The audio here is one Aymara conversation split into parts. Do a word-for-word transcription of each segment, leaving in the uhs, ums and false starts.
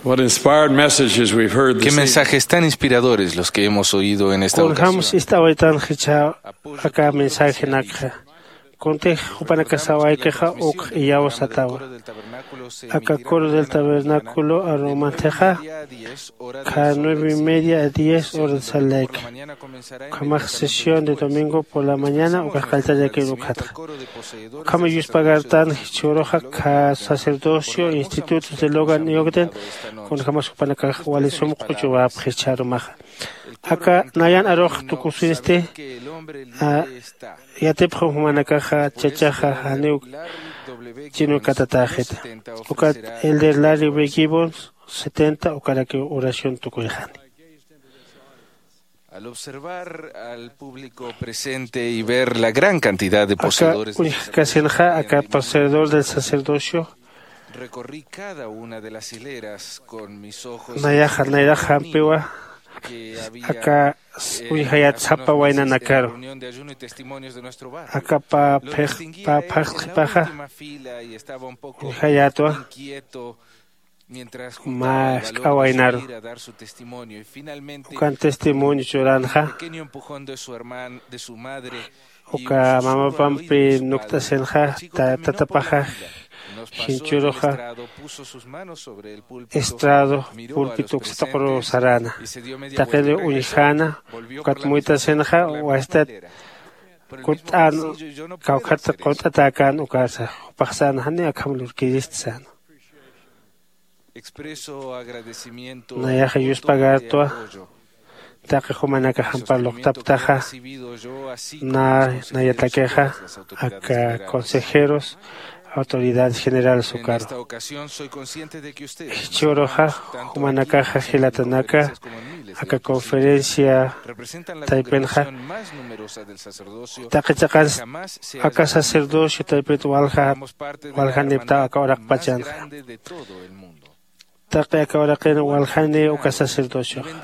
What inspired messages we've heard this evening. Qué mensajes tan inspiradores los que hemos oído en esta ocasión. Kunjams ist'awaytan jichha aka mensajenakxa. Kuntix jupanakax sawaykixa ukx iyawsatawa. Aka coro del tabernáculo arumantixa, kha nueve y media a diez horas de salek. Ukhamax sesión de domingo por la mañana ukax qalltallakir ukxatxa. Ukhama yuspagartan jichhüruxa kha sacerdocio institutos de Logan y Ogden, kunjamas jupanakax wali sum q'uchuwapxi jichhürumaxa. Aka nayan arux tukusinsti, a, yatipxam jumanakaxa chachaxa janiw chinukatatäxita. Ukat Elder Larry B. Gibbons setenta ukarakiw oración tukuyxani. Al observar al público presente y ver la gran cantidad de poseedores del sacerdocio, uñjkasinxa aka poseedor del sacerdocio, recorrí cada una de las hileras con mis ojos, nayaxa nayrax jampiwa, aka uñjayat sapa waynanakaru, aka pä phaxtxipaxa uñjayätwa. Mä sk'a waynaru. Ukan testimonio churanxa. Uka mamapampi nukt'asinxa, tatapaxa jinchuruxa estrado pulpito uksatuqru saräna. Taqiniw uñjäna, ukat muyt'asinxa wastat kutt'an, kawkhat qunt'atäkän ukasa, jupax säna janiw akham lurkirist säna. Nayaxa yuspagartwa taqi jumanakax ampar luqtaptaxa, na nayatakixa aka consejeros, autoridades generales ukaru. Jichhüruxa jumanakaxa jilatanaka aka conferencia taypinxa, taqi chiqans aka sacerdocio taypit walja waljaniptaw aka uraqpachanxa. Taqi aka uraqin waljani uka sacerdocioxa.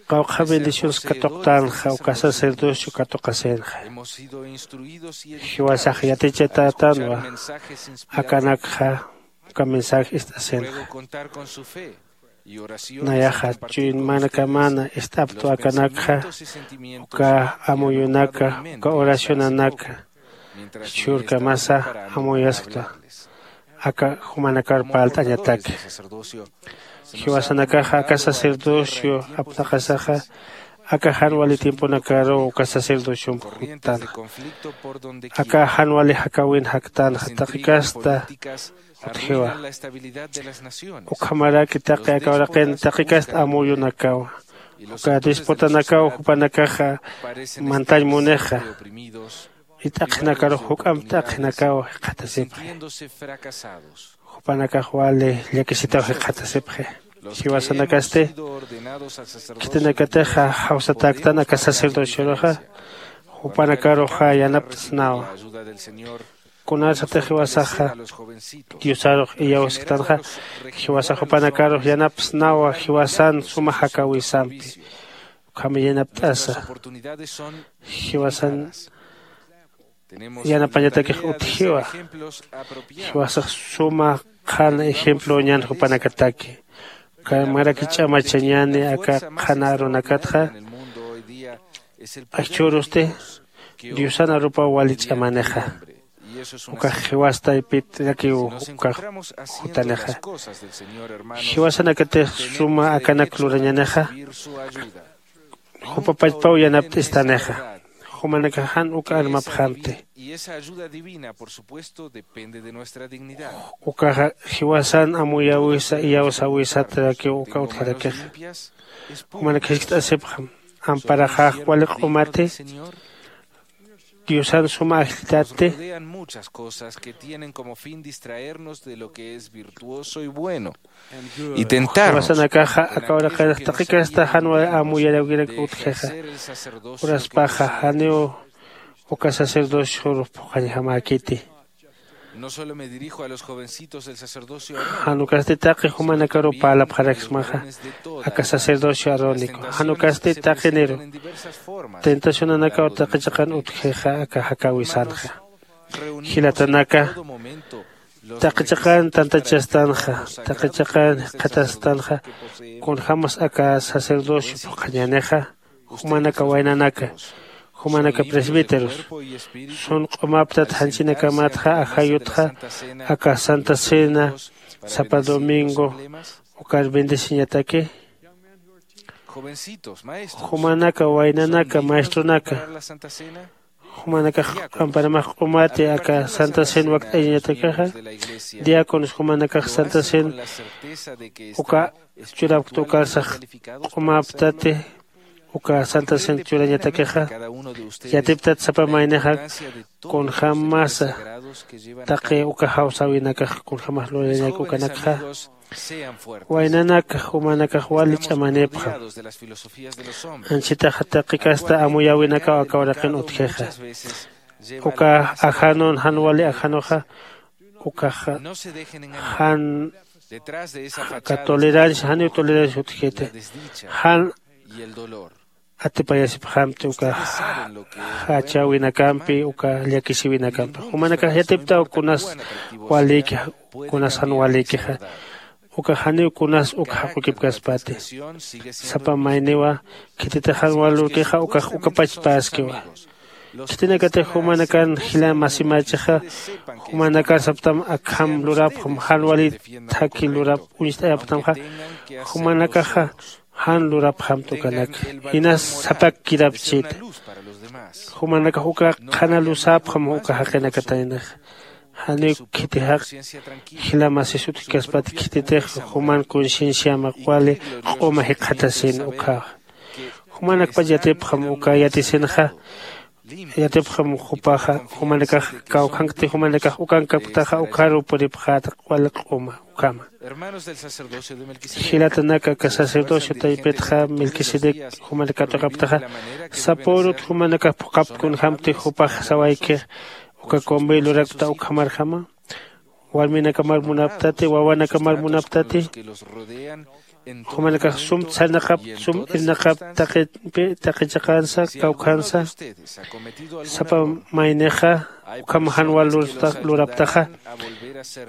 Qawqha bendiciones katuqtänxa uka sacerdocio katuqasinxa. Jiwasax yatichatätanwa akanakxa uka mensaje ist'asinxa. Nayaxa chuymanakamäna ist'aptwa akanakxa uka amuyunaka, uka oracionanaka, jichhürkamasa amuyasktwa aka jumanakar parlt'añataki. Jiwasanakaxa aka sacerdocio apnaqasaxa, aka jan wali tiemponakaruw uka sacerdociomp juttanxa. Aka jan wali jakäwin jaktänxa, taqi kasta utjiwa. Ukhamaraki taqi aka uraqin taqi kasta amuyunakawa, uka disputanakaw jupanakaxa mantañ munixa, y t'aqhinakarux juk'amp t'aqhinakaw jikxatasipxi. Jupanakax wali llakisitaw jikxatasipxi. Jiwasanakasti khitinakatixa jawsatäktan aka sacerdocioruxa, jupanakaruxa yanapt'snawa. Kunasatix jiwasaxa Diosarux iyawsktanxa, jiwasax jupanakarux yanapsnawa jiwasan suma jakäwisampi. Ukham yanapt'asa jiwasan yanapañatakix utjiwa. Jiwasax suma qhana ejemploñan jupanakataki. Ukhamarak ch'amachañäni aka qhana arunakatxa. Jichhürusti Diosan arupaw wali ch'amanixa. Ukax jiwas taypitarakiw ukax jutanixa. Jiwasanakatix suma akanak lurañänixa, jupa pachpaw yanapt'istanixa. Jumanakax jan uk armapxamti. Ukaxa jiwasan amuyäwisa iyawsäwisatarakiw uka utjarakixa. Jumanak jiskt'asipxam, amparaxax wali q'umati, Diosan suma ajlltati. Jiwasanakaxa aka uraqinx taqi kasta jan wali amuyaräwirak utjixa. Uraspaxa janiw uka sacerdocior phuqhañjamäkiti. Jan ukasti taqi jumanakaruw parlapxaraksmaxa aka sacerdocio arónico. Jan ukasti taqiniru tentacionanakaw taqi chiqan utjixa aka jakäwisanxa. Jilatanaka, Taqi chiqan tantachastanxa, taqi chiqan jikxatastanxa, kunjämas aka sacerdocio phuqhañänixa, jumanaka waynanaka, jumanaka presbíteros, sun q'umaptat janchinakamatxa ajayutxa aka santa cena sapa domingo ukar bendeciñataki? Jumanaka waynanaka maestronaka, jumanakax q'amparamax q'umati aka santa cena wakt'ayañatakixa, diáconos jumanakax santa cena uka churapkta ukarsax q'umaptati uka santa cena churañatakixa. Yatiptat sapa maynixa kunjämasa taqi uka jawsäwinakax kunjämas lurayañak ukanakxa. Waynanaka jumanakax wali ch'amanipxam. Anchitaxa taqi kasta amuyäwinakaw aka uraqin utjixa. Uka ajanun jan wali ajanuxa ukaxa jan aka tolerancia janiw tolerancia utjiti, jan atipayasipxamti uka jachäwinakampi uka llakisïwinakampi. Jumanakax yatiptaw kunas walïki, kunas jan walïkixa, uka janiw kunas uk jaqukipkaspati. Sapa mayniwa khititix jan walürkixa ukax ukapachpäskiwa. Khitinakatix jumanakan jila masimächixa, jumanakar saptam akham lurapxam jan wali thakhi lurap uñst'ayapxtamxa, jumanakaxa jan lurapxamta ukanaka, inas sapak kirapchita. Jumanakax uka qhana lusäpxam uka jaqinakataynaxa. Janiw khiti jaq jila masis utjkaspati khititix juman concienciama wali q'uma jikxatasin ukhaxa. Jumanakpach yatipxam uka yatisinxa, yatipxam jupaxa, jumanakax kawkhankti jumanakax ukankapktaxa ukharuw puripxäta wali q'uma ukhama. Jilatanaka aka sacerdocio taypitxa Melquisedec jumanak katuqapktaxa, sapürut jumanakax phuqhapkta kunjämti jupax sawaykix uka convey lurakta ukhamarjama. Warminakamar munaptati, wawanakamar munaptati. Jumanakax sum sarnaqapkta, sum irnaqapkta taqi chiqansa, kawkhansa. Sapa maynixa ukham jan wal luraptaxa,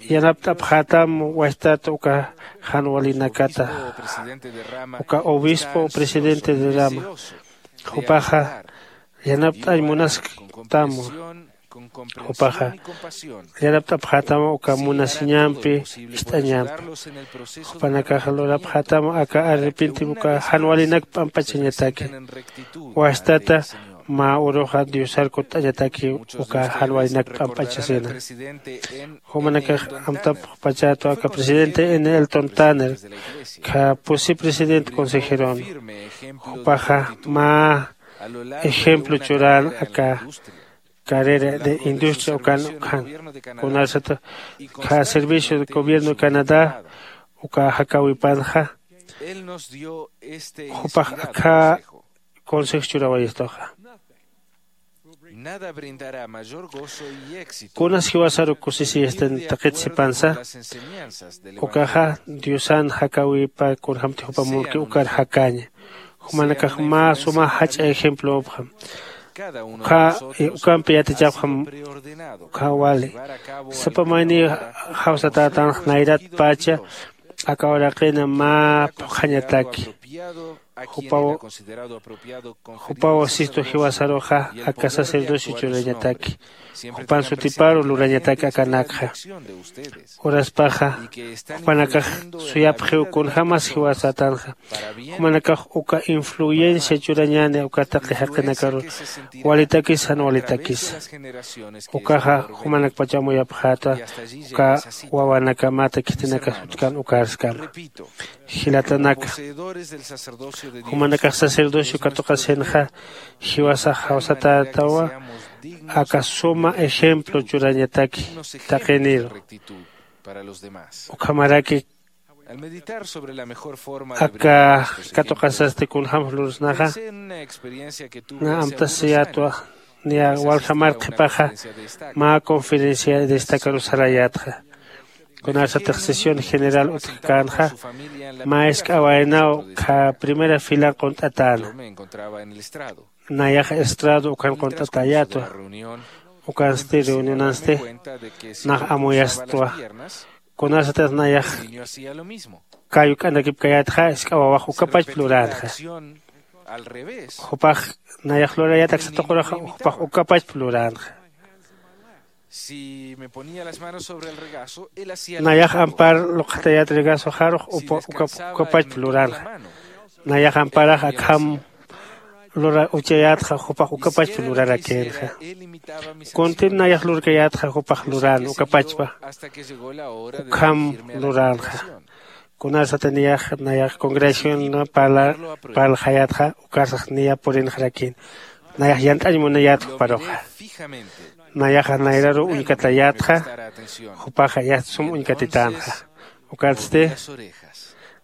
yanapt'apxätam wastat uka jan walinakata. Uka obispo o presidente de rama, jupaxa yanapt'añ munasktam. Jupaxa yanapt'apxätam uka munasiñampi, ist'añampi. Jupanakax lurapxätam aka arrepentiw uka jan walinak p'amp'achañataki. Wastata mä uruxa Diosar kutt'añataki uka jan walinak p'amp'achasina. Jumanakax amtapxpachätwa aka presidente N. Eldon Tanner, kha pusi presidente consejeron. Jupaxa mä ejemplo churän aka carrera de industria ukan ukhan. Kunasat kha servicio de gobierno de Canadá uka jakäwipanxa, jupax akha consejo churawayistuxa. Kunas jiwasaru kusisiyastan taqit sipansa, ukaxa Diosan jakäwipa kunjämti jupa munki ukar jakäña. Jumanakax mä suma jach'a ejemplopxam. Uka, ukampi yatichapxam uka wali. Sapa mayni jawsatätanx nayratpacha aka uraqina mä phuqhañataki. Jupaw, jupaw sistu jiwasaruxa aka sacerdocio churañataki. Jupan sutiparu lurañataki akanakxa. Uraspaxa jupanakax suyapxiw kunjämas jiwasatanxa. Jumanakax uka influencia churañäni uka taqi jaqinakaru walitakis jan walitakisa. Ukaxa jumanakpach amuyapxäta uka wawanakamata khitinakas utjkän ukarskama. Jilatanaka, jumanakax sacerdocio katuqasinxa jiwasax jawsatätawa aka suma ejemplo churañataki taqiniru. Ukhamaraki aka katuqasasti kunjämsa lursnaxa, na amtasiyätwa niya walja mar qhipaxa mä conferencia destacaru sarayätxa. Kunasatix sesión general utjkänxa, mä isk'awaynaw kha primera fila qunt'atäna. Nayaxa estrado ukhan qunt'atäyätwa. Ukansti reunionansti nax amuyastwa. Kunasatix nayax kayuk'anakipkayätxa, isk'a wawax ukapachp luränxa. Jupax nayax lurayät aksa tuqurux jupax ukapachp luränxa. Nayax ampar luqxatayät regasoxarux ukapachp luränxa. Nayax amparax akham lura uchayätxa jupax ukapachp lurarakïnxa. Kuntim nayax lurkayätxa jupax lurän ukapachpa. Ukham luränxa. Kunasatix niyax nayax congregación parlxayätxa ukarsax niya purinxarakïn. Nayax yant'añ munayät juparuxa. Nayaxa nayraruw uñkatayätxa. Jupaxa yast sum uñkatitänxa. Ukatsti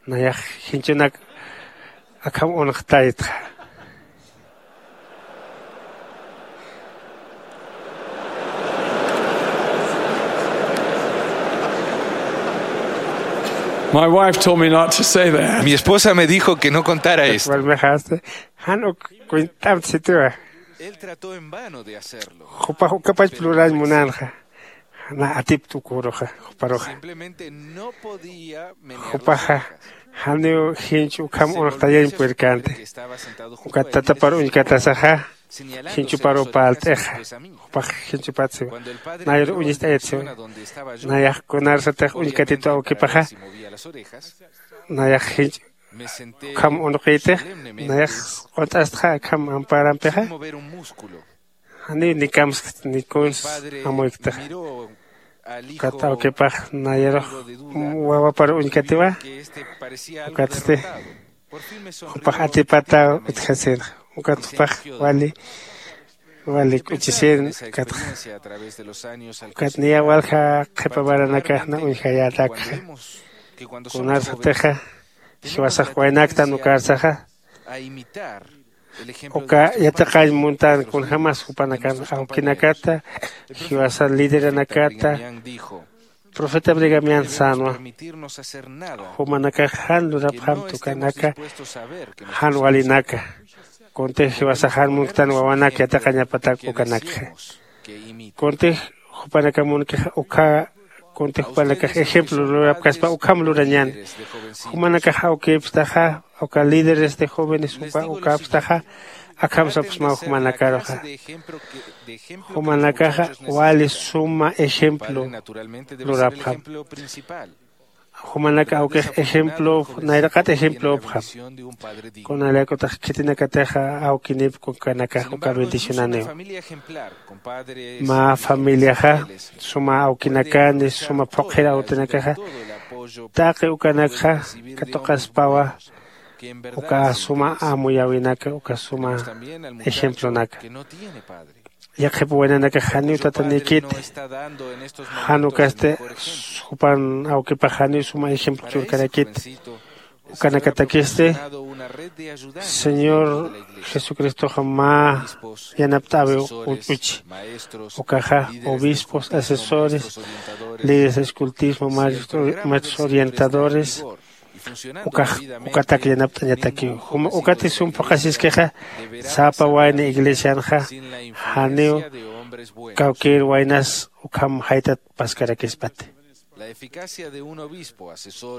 nayax jinchunak akham unxtaytxa. My wife told me not to say that. Mi esposa me dijo que no contara esto. Walmixasti jan uk cuentamtsitiwa. Él trató en vano de hacerlo. Jupax ukapach plurañ munanxa. Na atiptu kuruxa juparuxa. Jupaxa janiw jinch ukham unuxtayañ puerkante. Ukat tatapar uñkatasaxa jinchuparu palt'ixa. Jupax jinchupatsiwa. Nayru uñist'ayatsiwa. Nayax kunarsatix uñkatitu awkipaxa. Nayax jinch ukham unuqitix. Nayax q'unt'astxa akham amparampixa. Janiw nikamskti nikuns amuyktaxa. Ukat awkipax nayarux wawapar uñkatiwa. Ukatsti jupax atipataw utjasinxa. Ukat jupax wali wali k'uchisin. Ukatxa ukat niya walja qhipa varanakaxna uñjayätakxa. Kunarsatixa jiwasax waynaktan ukarsaxa uka yatiqañ muntan kunjämas jupanakan awkinakata jiwasa lideranakata profeta brigamian sänwa. Jumanakax jan lurapxamta ukanaka jan walinaka. Kuntix jiwasax jan munktan wawanak yatiqañapatak ukanakxa. Kuntix jupanakax munkixa ukha kuntix jupanakax ejemplo lurapkaspa ukham lurañäni. Jumanakax awkipstaxa uka líderes de jóvenes jupa ukapstaxa akham sapxsmaw jumanakaruxa. Jumanakaxa wali suma ejemplo lurapxam. Jumanak awkix ejemplop nayraqat ejemplopxam. Kunalaykutix khitinakatixa awkinipk ukanakax uka bendicionaniw. Mä familiaxa suma awkinakani suma phuqhir awtinakaxa taqi ukanakxa katuqaspawa uka suma amuyäwinaka uka suma ejemplonaka. Yaqhip waynanakax janiw tatanikiti. Jan ukasti jupan awkipax janiw suma ejemplo churkarakiti. Ukanakatakisti señor jesucristoxa mä yanapt'äwiw ut'uchi. Ukaxa obispos asesores, líderes de escultismo, maestros orientadores, ukax ukatak yanapt'añatakiw. Juma ukati sum phuqhasiskixa sapa wayna iglesianxa janiw kawkïr waynas ukham jaytat paskarakispati.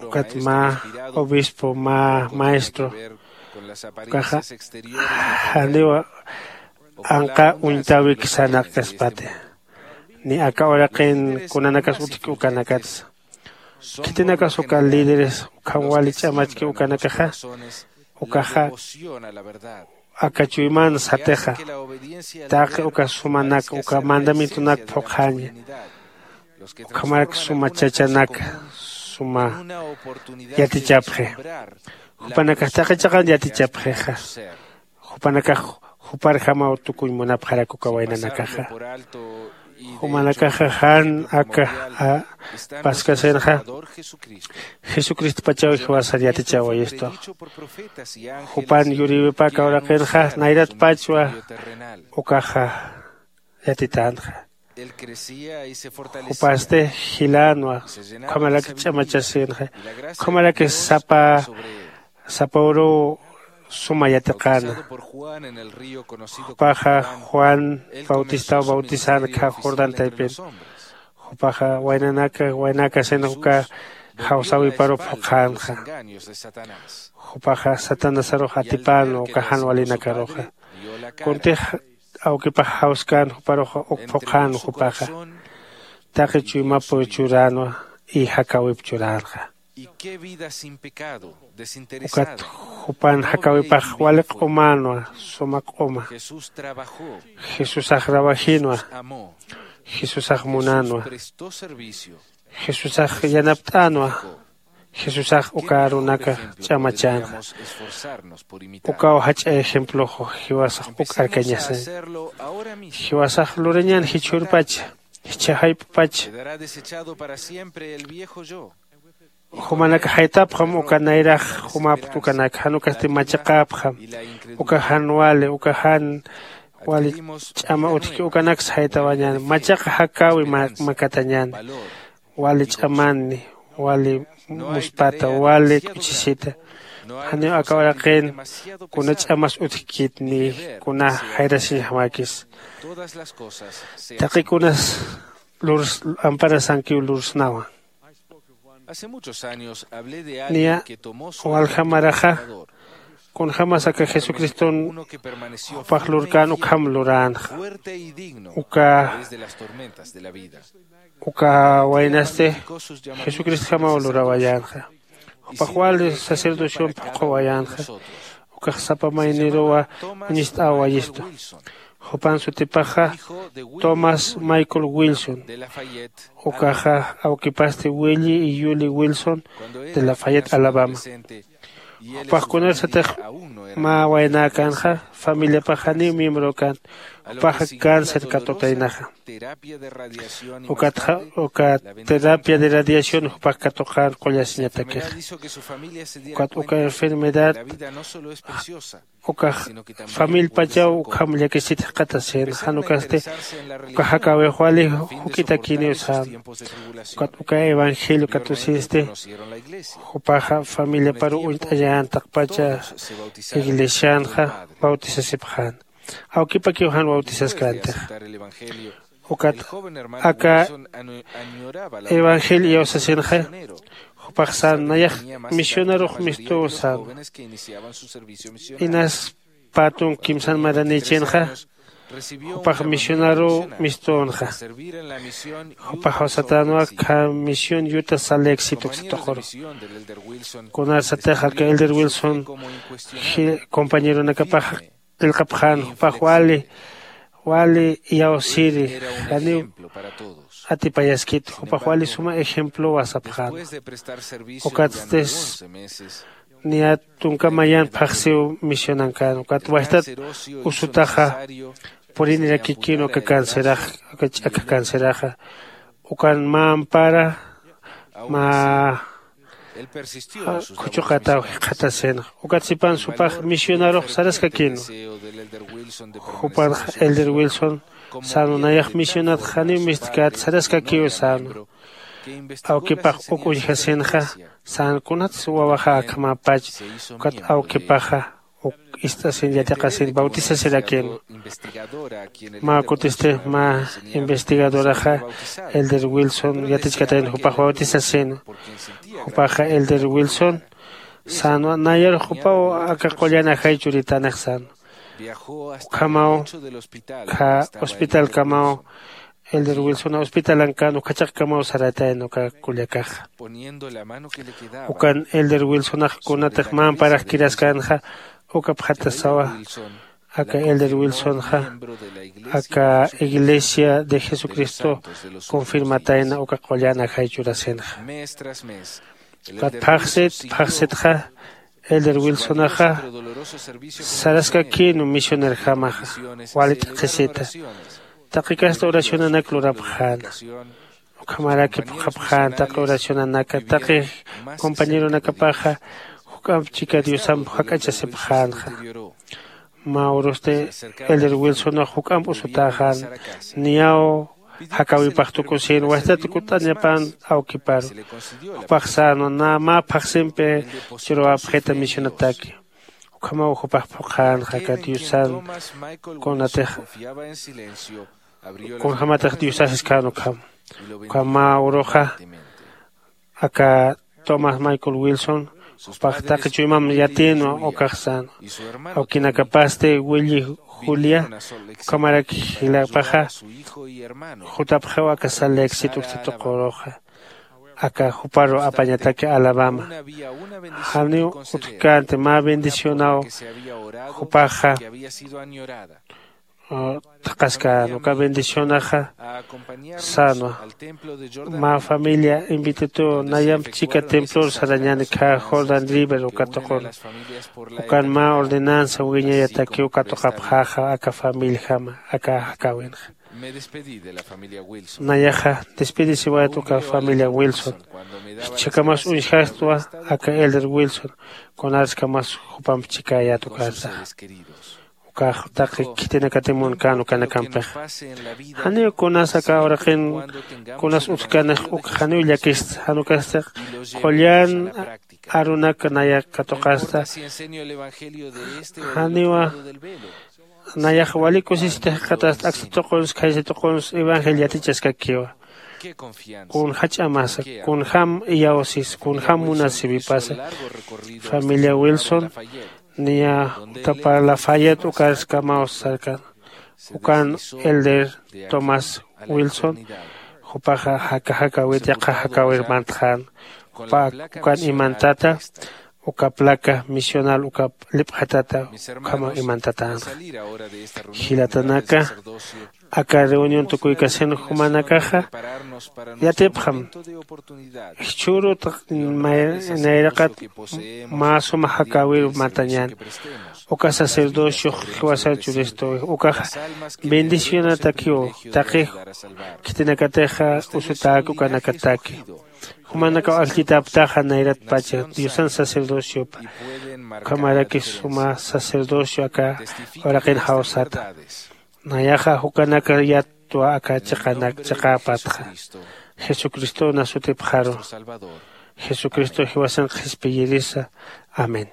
Ukat mä obispo mä maestro ukaxa janiw anqa uñtäwik sarnaqkaspati. Ni aka uraqin kunanakas utjki ukanakatsa. Khitinakas uka líderes ukham wali ch'amachki ukanakaxa ukaxa aka chuyman satixa taqi uka sumanak uka mandamientonak phuqhaña. Ukhamarak suma chachanak suma yatichapxi. Jupanakax taqi chiqan yatichapxixa. Jupanakax juparjamaw tukuñ munapxarak uka waynanakaxa. Jumanakaxa jan aka paskasinxa jesucristopachaw jiwasar yatichäwayistu. Jupan yuriwipa aka uraqinxa nayratpachwa ukaxa yatitänxa. Jupasti jilänwa. Ukhamarak ch'amachasinxa. Ukhamarak sapa sapa uruw suma yatiqäna. Jupaxa juan bautistaw bautisänkha jordán taypin. Jupaxa waynanaka waynakasin uka jawsäwiparuw phuqhänxa. Jupaxa satanasarux atipänwa uka jan walinakaruxa. Kuntix awkipax jawskän juparuxa uk phuqhänwa jupaxa. Taqi chuymap churänwa y jakäwip churänxa. Ukat jupan jakäwipax wali q'umänwa suma q'uma. Jesusax rawajinwa. Jesusax munänwa. Jesusax yanapt'änwa. Jesusax uka arunaka ch'amachänxa. Ukaw jach'a ejemploxu jiwasax uk arkañasañ. Jiwasax lurañän jichhürpacha jichha jayp'pacha. Jumanak jaytapxam uka nayrax jumapkt ukanak jan ukasti machaqäpxam. Uka jan wali uka jan wali ch'ama utjki ukanaksa jaytawañäni machaqa jakäwi makatañäni. Wali ch'amanni wali muspata wali k'uchisita. Janiw aka uraqin kuna ch'amas utjkit ni kuna jayrasiñjamäkis. Taqi kunas lurs amparasankiw lursnawa. Niya walja maraxa kunjämas aka jesucriston jupax lurkän ukham luränxa. Uka uka waynasti jesucristjamaw lurawayänxa. Jupax wali sacerdocion phuqhawayänxa. Ukax sapa mayniruwa uñist'awayistu. Jupan sutipaxa tomás michael wilson. Ukaxa awkipasti willi y yuli wilson de lafayette alabama. Jupax kunarsatix mä waynäkänxa familiapax janiw miembrokänt. Jupaxa cáncer katutaynaxa. Ukatxa uka terapia de radiación jupax katuqän qullasiñatakixa. Ukat uka enfermedad ukax famillpachaw ukham llakisit jikxatasin jan ukasti uka jakäwix wali juk'itakiniw sän. Ukat uka evangelio katusinsti jupaxa familiaparuw uñt'añän taqpacha iglesianxa bautisasipxän. Awkipakiw jan bautisaskäntix. Ukat aka evangelio iyawsasinxa jupax sän nayax misionarux mistuw sän. Inas pätunk kimsan maranïchinxa jupax misionaruw mistünxa. Jupax jawsatänwa khä misión yuta saleeksituksatuquru. Kunarsatix aka elder wilson compañeronakapax qillqapxän jupax wali wali iyawsiri janiw atipayaskit jupax wali suma ejemplowa sapxän. Ukatstis niyat tunka mayan phaxsiw misionankän ukat wajtat usutaxa purinirakikïnwa aka cancerax aka ch'akha canceraxa. Ukan mä ampara mä khuchuqataw jikxatasinxa. Ukat sipan supax misionarux saraskakïnwa. Jupanxa elder wilson sänwa nayax misionat janiw mistkät saraskakïw sänwa. Awkipax uk uñjasinxa sän kunatsa wawaxa akhamäpach ukat awkipaxa uk ist'asin yatiqasin bautisasirakïnwa. Mä kutisti mä investigadoraxa elder wilson yatichkatayna jupax bautisasinwa. Jupaxa elder wilson sänwa nayarux jupaw aka qullan ajay churitänix sänwa. Ukhamaw khä hospitalkamaw elder wilsona hospitalankän ukhachaqkamaw saratayna uka kullakaxa. Ukan elder wilsonax kunatix mä amparax kiraskänxa ukapxatasawa. Aka elder wilsonxa aka iglesia de jesucristo confirmatayna uka qullan ajay churasinxa. Ukat phaxsit phaxsitxa elder wilsonaxa saraskakïnwa misionerjamaxa wali t'aqhisita. Taqi kasta oracionanak lurapxäna. Ukhamaraki phuqhapxän taqi oracionanaka taqi compañeronakapaxa juk'amp chika diosamp jak'achasipxänxa. Mä urusti elder wilsonax juk'amp usutäxän niyaw jakäwipax tukusïn wajtat kut'añapän awkiparu. Jupax sänwa nä mä phaxsimpi churuwapxita misionataki. Ukhamaw jupax phuqhänxa aka diosan kunatix kunjämatix diosasiskäna ukham. Ukham mä uruxa aka tomás michael wilson jupax taqi chuymam yatïnwa ukax sänwa. Awkinakapasti willi julia ukhamarak jilapaxa jutapxiw aka sal lake sit uksituquruxa aka juparu apañataki alabama. Janiw utjkänti mä bendicionaw jupaxa thaqhaskän uka bendicionaxa sänwa. Mä familia invitituw nayamp chika templor sarañäni khä jordan river uka tuqun ukan mä ordenanza wiñayatakiw katuqapxäxa aka familiajama aka jakäwinxa. Nayaxa despidisiwayat uka familia wilson. Jichhakamas uñjastwa aka elder wilson kunatskamas jupamp chikäyät ukansaxa. Ukax taqi khitinakatimunkän ukanakampixa janiw kunas aka uraqin kunas utjkänix uk janiw llakista jan ukasti q'ullan arunak nayak katuqasta. Janiwa nayax wali kusisita jikxatasta aksa tuquns khaysa tuquns evangel yatichaskakiwa. Kun jach'amasa kunjam iyawsis kunjam munasipipasa familia wilson niya utapar lafayet ukarskamaw sarkan. Ukan elder tomás wilson jupaxa jaka jakäwit yaqha jakäwir mantxän. Jupa ukan imantata uka placa misional ukap lipxatata ukhamaw imantatänxa. Jilatanaka aka reunión tukuykasin jumanakaxa yatipxam jichhürut nayraqat mä suma jakäwir mantañän. Uka sacerdociox jiwasar churistuwi ukaxa bendicionatakiw taqi khitinakatixa usutäki ukanakataki. Jumanakaw ajllitaptaxa nayratpacha diosan sacerdociopa ukhamaraki suma sacerdocio aka uraqin jawsata. Nayaxa jukanaka yattwa aka chiqanak chiqäpatxa jesucristow nasutipxaru. Jesucristo jiwasan qhispiyirisa. Amén.